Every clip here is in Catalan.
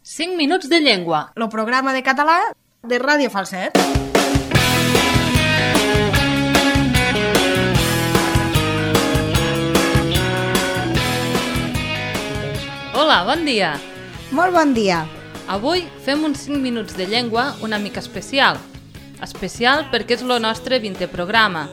5 minuts de llengua. El programa de català de Ràdio Falset. Hola, bon dia. Molt bon dia. Avui fem uns 5 minuts de llengua una mica especial. Especial perquè és el nostre 20è programa.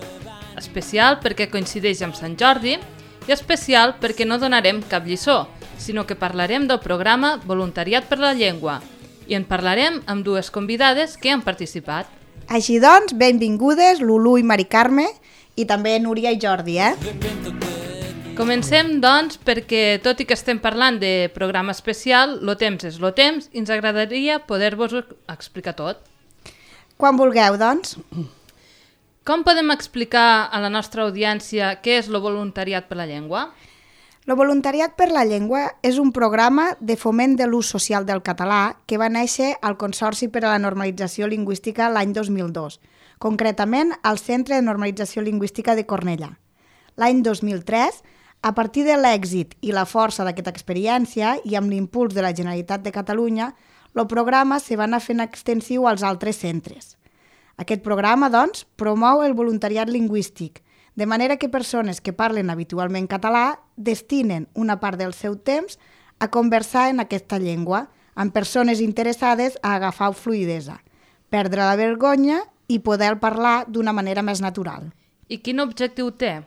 Especial perquè coincideix amb Sant Jordi i especial perquè no donarem cap lliçó, sinó que parlarem del programa Voluntariat per la Llengua i en parlarem amb dues convidades que han participat. Així doncs, benvingudes Lulu i Mari Carme i també Núria i Jordi, Comencem, doncs, perquè tot i que estem parlant de programa especial, lo temps és lo temps i ens agradaria poder-vos explicar tot. Quan vulgueu, doncs. Com podem explicar a la nostra audiència què és el voluntariat per la llengua? El voluntariat per la llengua és un programa de foment de l'ús social del català que va néixer al Consorci per a la Normalització Lingüística l'any 2002, concretament al Centre de Normalització Lingüística de Cornellà. L'any 2003, a partir de l'èxit i la força d'aquesta experiència i amb l'impuls de la Generalitat de Catalunya, el programa se va anar fent extensiu als altres centres. Aquest programa, doncs, promou el voluntariat lingüístic, de manera que persones que parlen habitualment català destinen una part del seu temps a conversar en aquesta llengua, amb persones interessades a agafar fluïdesa, perdre la vergonya i poder parlar d'una manera més natural. I quin objectiu té?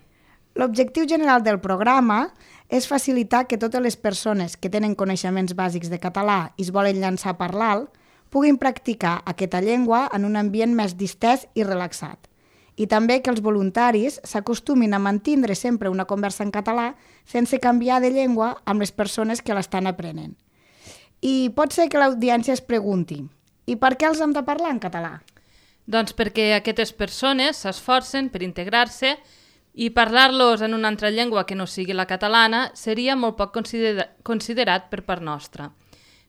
L'objectiu general del programa és facilitar que totes les persones que tenen coneixements bàsics de català i es volen llançar a parlar-lo puguin practicar aquesta llengua en un ambient més distès i relaxat. I també que els voluntaris s'acostumin a mantindre sempre una conversa en català sense canviar de llengua amb les persones que l'estan aprenent. I pot ser que l'audiència es pregunti, i per què els hem de parlar en català? Doncs perquè aquestes persones s'esforcen per integrar-se i parlar-los en una altra llengua que no sigui la catalana seria molt poc considerat per part nostra.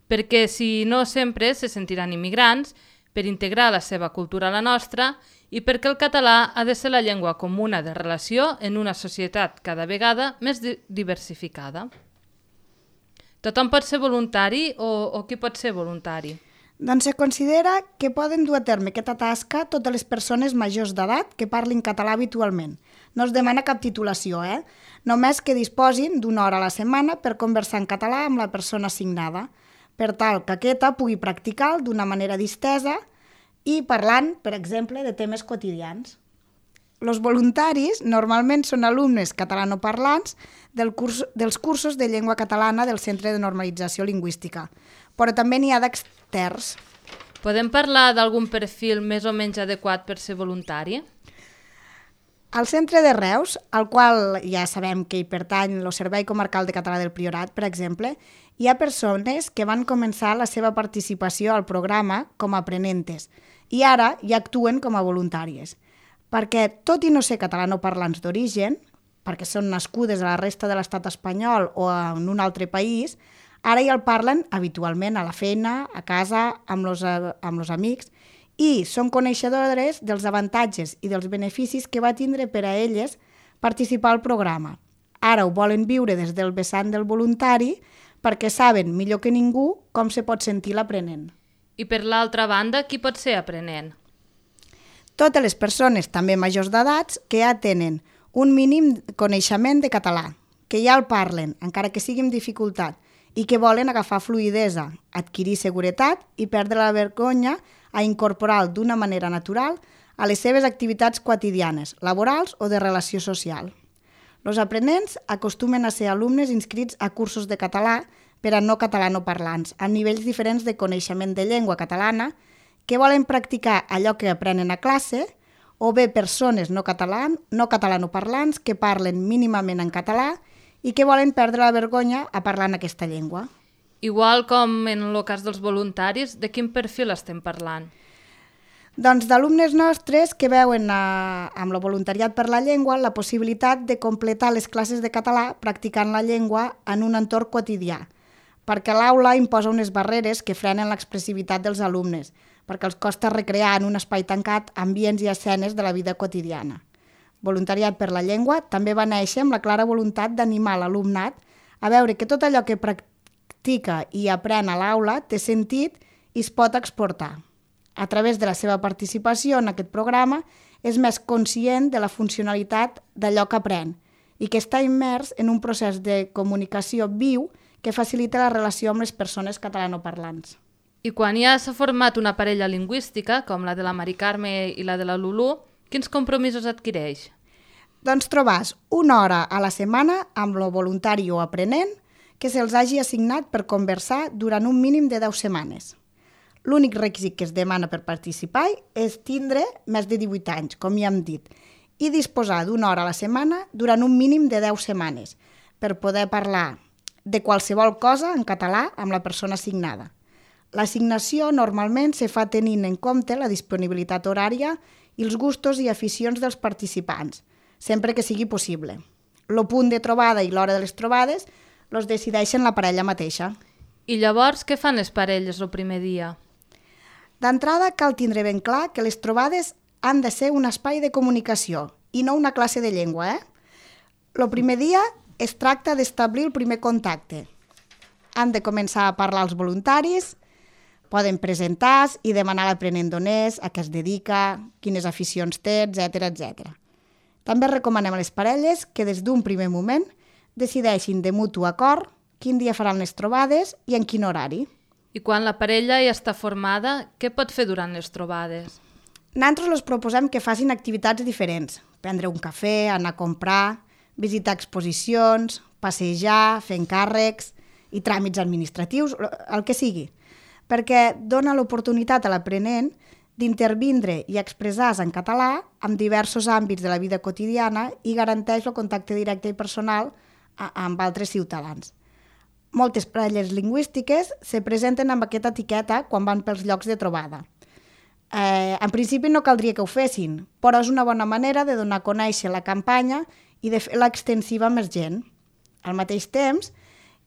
Perquè si no sempre se sentiran immigrants, per integrar la seva cultura a la nostra i perquè el català ha de ser la llengua comuna de relació en una societat cada vegada més diversificada. Tothom pot ser voluntari o qui pot ser voluntari? Doncs se considera que poden dur a terme aquesta tasca totes les persones majors d'edat que parlin català habitualment. No es demana cap titulació, Només que disposin d'una hora a la setmana per conversar en català amb la persona assignada, per tal que aquesta pugui practicar d'una manera distesa i parlant, per exemple, de temes quotidians. Els voluntaris normalment són alumnes catalanoparlants dels cursos de llengua catalana del Centre de Normalització Lingüística, però també n'hi ha d'externs. Podem parlar d'algun perfil més o menys adequat per ser voluntari? Al centre de Reus, al qual ja sabem que hi pertany el Servei Comarcal de Català del Priorat, per exemple, hi ha persones que van començar la seva participació al programa com a aprenentes i ara ja actuen com a voluntàries. Perquè, tot i no ser catalanoparlants d'origen, perquè són nascudes a la resta de l'estat espanyol o en un altre país, ara ja el parlen habitualment a la feina, a casa, amb els amics, i són coneixedores dels avantatges i dels beneficis que va tindre per a elles participar al programa. Ara ho volen viure des del vessant del voluntari perquè saben millor que ningú com se pot sentir l'aprenent. I per l'altra banda, qui pot ser aprenent? Totes les persones, també majors d'edats, que ja tenen un mínim coneixement de català, que ja el parlen, encara que sigui amb dificultat, i que volen agafar fluïdesa, adquirir seguretat i perdre la vergonya a incorporar d'una manera natural a les seves activitats quotidianes, laborals o de relació social. Els aprenents acostumen a ser alumnes inscrits a cursos de català per a no catalanoparlants, amb nivells diferents de coneixement de llengua catalana, que volen practicar allò que aprenen a classe, o bé persones no catalanoparlants que parlen mínimament en català i que volen perdre la vergonya a parlar en aquesta llengua. Igual com en el cas dels voluntaris, de quin perfil estem parlant? Doncs d'alumnes nostres que veuen amb el voluntariat per la llengua la possibilitat de completar les classes de català practicant la llengua en un entorn quotidià, perquè l'aula imposa unes barreres que frenen l'expressivitat dels alumnes, perquè els costa recrear en un espai tancat ambients i escenes de la vida quotidiana. Voluntariat per la llengua també va néixer amb la clara voluntat d'animar l'alumnat a veure que tot allò que practica i aprèn a l'aula té sentit i es pot exportar. A través de la seva participació en aquest programa és més conscient de la funcionalitat d'allò que aprèn i que està immers en un procés de comunicació viu que facilita la relació amb les persones catalanoparlants. I quan ja s'ha format una parella lingüística, com la de la Mari Carme i la de la Lulú, quins compromisos adquireix? Doncs trobàs una hora a la setmana amb lo voluntari o aprenent que se'ls hagi assignat per conversar durant un mínim de 10 setmanes. L'únic requisit que es demana per participar és tindre més de 18 anys, com ja hem dit, i disposar d'una hora a la setmana durant un mínim de 10 setmanes per poder parlar de qualsevol cosa en català amb la persona assignada. L'assignació normalment se fa tenint en compte la disponibilitat horària i els gustos i aficions dels participants, sempre que sigui possible. El punt de trobada i l'hora de les trobades els decideixen la parella mateixa. I llavors, què fan les parelles el primer dia? D'entrada, cal tindre ben clar que les trobades han de ser un espai de comunicació i no una classe de llengua. El primer dia es tracta d'establir el primer contacte. Han de començar a parlar els voluntaris, poden presentar-se i demanar a l'aprenent d'on és, a què es dedica, quines aficions té, etc. També recomanem a les parelles que des d'un primer moment decideixin de mutu acord quin dia faran les trobades i en quin horari. I quan la parella ja està formada, què pot fer durant les trobades? Nosaltres els proposem que facin activitats diferents, prendre un cafè, anar a comprar, visitar exposicions, passejar, fer encàrrecs i tràmits administratius, el que sigui, perquè dona l'oportunitat a l'aprenent d'intervindre i expressar-se en català en diversos àmbits de la vida quotidiana i garanteix el contacte directe i personal amb altres ciutadans. Moltes parelles lingüístiques se presenten amb aquesta etiqueta quan van pels llocs de trobada. En principi no caldria que ho fessin, però és una bona manera de donar a conèixer la campanya i de fer-la extensiva a més gent. Al mateix temps,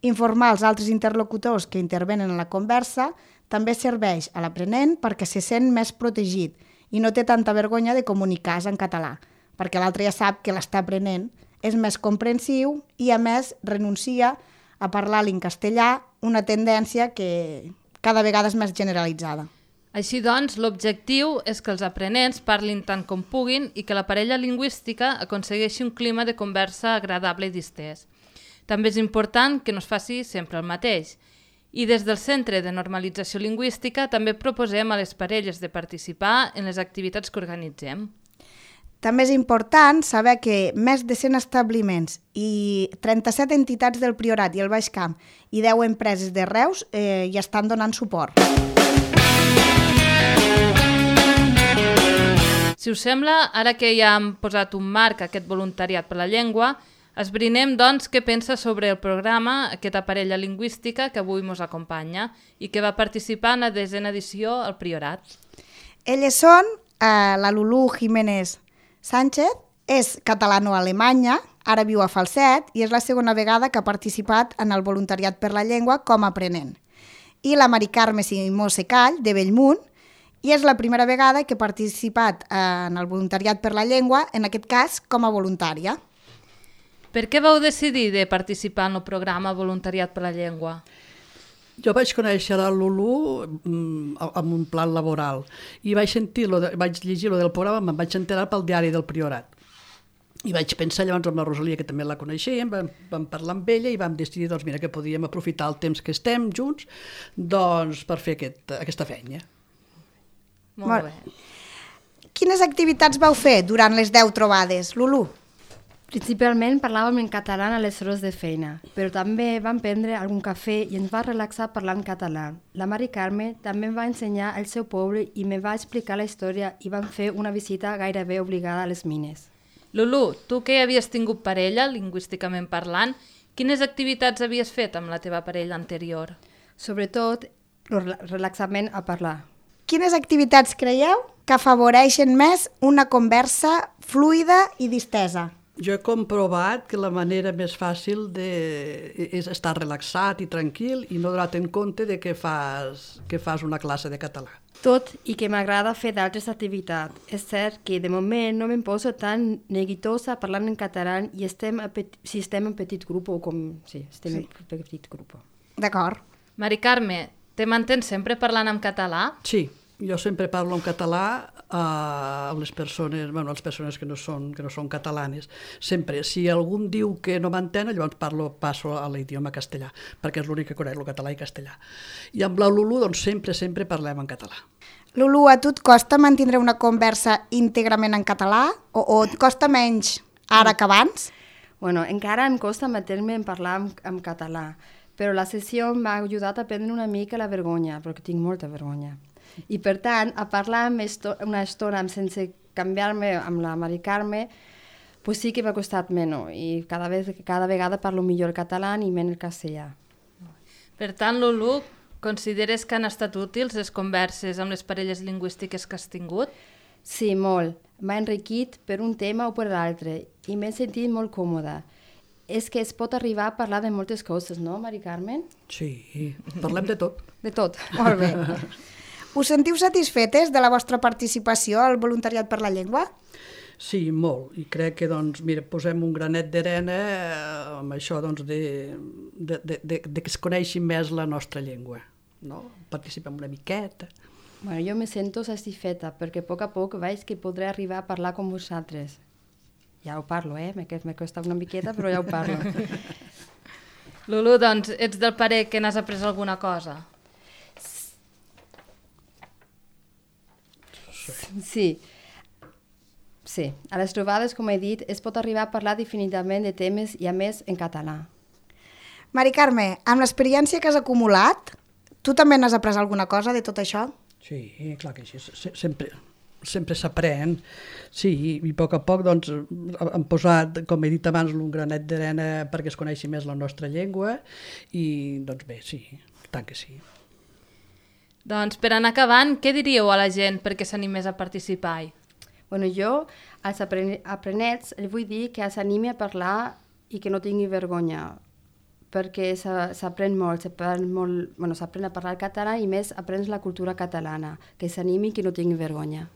informar els altres interlocutors que intervenen en la conversa també serveix a l'aprenent perquè se sent més protegit i no té tanta vergonya de comunicar-se en català, perquè l'altre ja sap que l'està aprenent, és més comprensiu i, a més, renuncia a parlar en castellà, una tendència que cada vegada és més generalitzada. Així doncs, l'objectiu és que els aprenents parlin tant com puguin i que la parella lingüística aconsegueixi un clima de conversa agradable i distès. També és important que no es faci sempre el mateix. I des del Centre de Normalització Lingüística també proposem a les parelles de participar en les activitats que organitzem. També és important saber que més de 100 establiments i 37 entitats del Priorat i el Baix Camp i 10 empreses de Reus hi estan donant suport. Si us sembla, ara que ja hem posat un marc a aquest voluntariat per la llengua, esbrinem, doncs, què pensa sobre el programa aquesta parella lingüística que avui ens acompanya i que va participar en la 10a edició al Priorat. Elles són la Lulú Jiménez Sánchez, és catalano-alemanya, ara viu a Falset i és la segona vegada que ha participat en el voluntariat per la llengua com a aprenent. I la Mari Carme Simó Secall, de Bellmunt, i és la primera vegada que ha participat en el voluntariat per la llengua, en aquest cas com a voluntària. Per què vau decidir de participar en el programa Voluntariat per la Llengua? Jo vaig conèixer la Lulú amb un plan laboral i vaig llegir lo del programa, me'n vaig enterar pel diari del Priorat. I vaig pensar llavors amb la Rosalia, que també la coneixíem, vam parlar amb ella i vam decidir doncs, mira, que podíem aprofitar el temps que estem junts doncs, per fer aquesta feina. Molt bé. Quines activitats vau fer durant les 10 trobades, Lulú? Principalment parlàvem en català a les hores de feina, però també vam prendre algun cafè i ens va relaxar parlant català. La Mari Carme també em va ensenyar el seu poble i me va explicar la història i vam fer una visita gairebé obligada a les mines. Lulú, tu que ja havies tingut parella, lingüísticament parlant, quines activitats havies fet amb la teva parella anterior? Sobretot, el relaxament a parlar. Quines activitats creieu que afavoreixen més una conversa fluida i distesa? Jo he comprovat que la manera més fàcil és estar relaxat i tranquil i no donar-te en compte de que fas una classe de català. Tot i que m'agrada fer d'altres activitats. És cert que de moment no me'n poso tan neguitosa parlant en català i si estem en petit grup o com... Sí, estem en petit grup. D'acord. Mari Carme, te mantens sempre parlant en català? Sí, jo sempre parlo en català a les persones, bueno, a les persones que no són catalanes. Sempre, si algú diu que no m'entén, llavors passo a l'idioma castellà, perquè és l'únic que conec, el català i castellà. I amb la Lulu, doncs, sempre parlem en català. Lulu, a tu et costa mantindre una conversa íntegrament en català o et costa menys ara que abans? Bueno, encara em costa metre-me en parlar en català, però la sessió m'ha ajudat a prendre una mica la vergonya, perquè tinc molta vergonya. I per tant, a parlar una estona sense canviar-me amb la Mari Carme, pues sí que m'ha costat menys i cada vegada parlo millor el català i menys el castellà. Per tant, Lulu, consideres que han estat útils les converses amb les parelles lingüístiques que has tingut? Sí, molt. M'ha enriquit per un tema o per l'altre i m'he sentit molt còmoda. És que es pot arribar a parlar de moltes coses, no, Mari Carmen? Sí, parlem de tot. De tot. Molt bé. Us sentiu satisfetes de la vostra participació al voluntariat per la llengua? Sí, molt. I crec que, doncs, mira, posem un granet d'arena amb això, doncs, de que es coneixi més la nostra llengua. No? Participem una miqueta. Bueno, jo me sento satisfeta perquè a poc veig que podré arribar a parlar com vosaltres. Ja ho parlo, me costa una miqueta, però ja ho parlo. Lulu, doncs, ets del parer que n'has après alguna cosa? Sí. Sí, a les trobades, com he dit, es pot arribar a parlar definitivament de temes i a més en català. Mari Carme, amb l'experiència que has acumulat, tu també n'has après alguna cosa de tot això? Sí, clar que sí, sempre s'aprèn. Sí, i a poc, doncs, hem posat, com he dit abans, un granet d'arena perquè es coneixi més la nostra llengua i, doncs bé, sí, tant que sí. Doncs per anar acabant, què diríeu a la gent perquè s'animés a participar-hi? Bueno, jo als aprenents els vull dir que s'animi a parlar i que no tingui vergonya, perquè s'aprèn molt, s'aprèn a parlar català i més aprens la cultura catalana, que s'animi i que no tingui vergonya.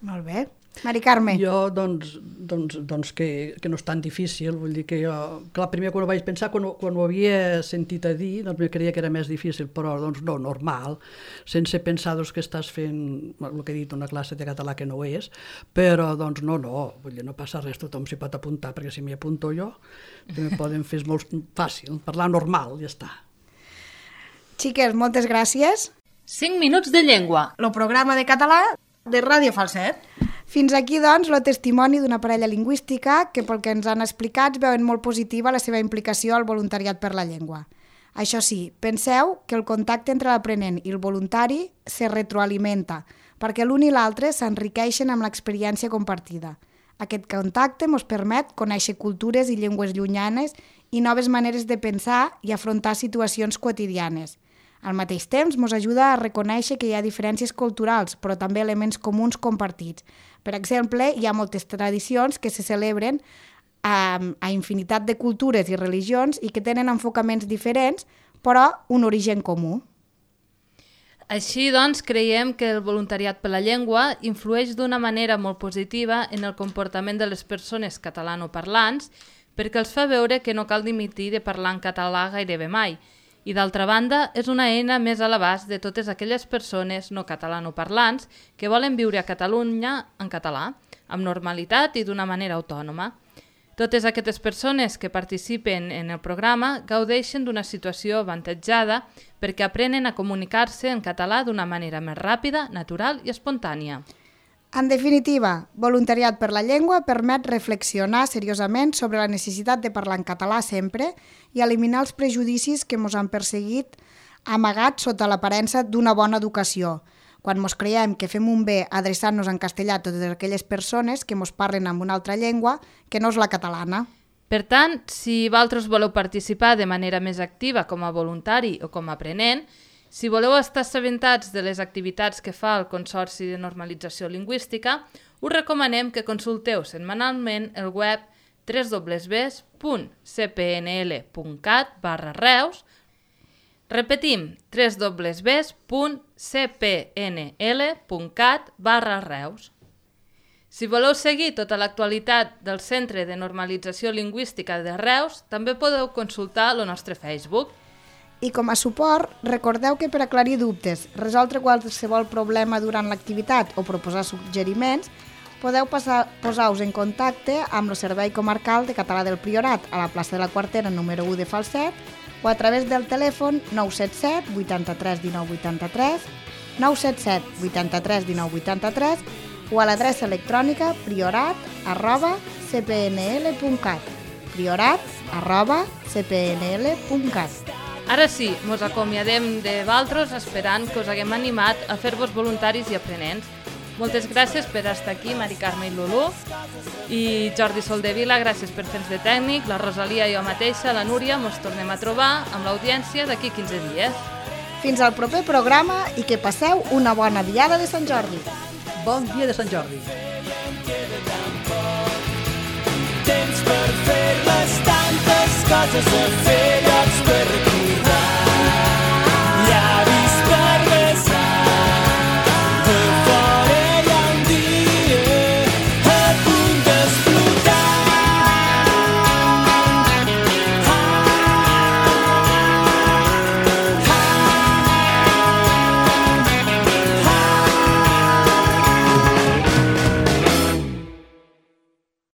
Molt bé. Mari Carme. Jo, doncs que no és tan difícil, vull dir que jo, clar, primer quan ho vaig pensar, quan ho havia sentit a dir, doncs me creia que era més difícil, però doncs no, normal, sense pensar doncs, que estàs fent, el que he dit, una classe de català que no és, però doncs no, vull dir, no passa res, tothom s'hi pot apuntar, perquè si m'hi apunto jo, també poden fer molt fàcil, parlar normal, ja està. Xiques, moltes gràcies. 5 minuts de llengua. El programa de català de Ràdio Falset. Fins aquí, doncs, el testimoni d'una parella lingüística que, pel que ens han explicat, veuen molt positiva la seva implicació al voluntariat per la llengua. Això sí, penseu que el contacte entre l'aprenent i el voluntari se retroalimenta, perquè l'un i l'altre s'enriqueixen amb l'experiència compartida. Aquest contacte ens permet conèixer cultures i llengües llunyanes i noves maneres de pensar i afrontar situacions quotidianes. Al mateix temps, ens ajuda a reconèixer que hi ha diferències culturals, però també elements comuns compartits. Per exemple, hi ha moltes tradicions que se celebren a infinitat de cultures i religions i que tenen enfocaments diferents, però un origen comú. Així, doncs, creiem que el voluntariat per la llengua influeix d'una manera molt positiva en el comportament de les persones catalanoparlants perquè els fa veure que no cal dimitir de parlar en català gairebé mai. I d'altra banda, és una eina més a l'abast de totes aquelles persones no catalanoparlants que volen viure a Catalunya en català, amb normalitat i d'una manera autònoma. Totes aquestes persones que participen en el programa gaudeixen d'una situació avantatjada perquè aprenen a comunicar-se en català d'una manera més ràpida, natural i espontània. En definitiva, voluntariat per la llengua permet reflexionar seriosament sobre la necessitat de parlar en català sempre i eliminar els prejudicis que ens han perseguit amagats sota l'aparença d'una bona educació, quan ens creiem que fem un bé adreçant-nos en castellà a totes aquelles persones que ens parlen en una altra llengua que no és la catalana. Per tant, si vosaltres voleu participar de manera més activa com a voluntari o com a aprenent, si voleu estar assabentats de les activitats que fa el Consorci de Normalització Lingüística, us recomanem que consulteu setmanalment el web www.cpnl.cat/reus. Repetim, www.cpnl.cat/reus. Si voleu seguir tota l'actualitat del Centre de Normalització Lingüística de Reus, també podeu consultar el nostre Facebook. I com a suport, recordeu que per aclarir dubtes, resoldre qualsevol problema durant l'activitat o proposar suggeriments, podeu posar-vos en contacte amb el Servei Comarcal de Català del Priorat a la plaça de la Quartera número 1 de Falset o a través del telèfon 977 83 19 83, 977 83 19 83 o a l'adreça electrònica priorat@cpnl.cat, priorat@cpnl.cat. Ara sí, mos acomiadem de valtros esperant que us haguem animat a fer-vos voluntaris i aprenents. Moltes gràcies per estar aquí, Mari Carme i Lulú. I Jordi Soldevila, gràcies per fer-nos de tècnic. La Rosalia i jo mateixa, la Núria, mos tornem a trobar amb l'audiència d'aquí 15 dies. Fins al proper programa i que passeu una bona diada de Sant Jordi. Bon dia de Sant Jordi. Temps per fer les tantes coses a fer, llocs per recordar.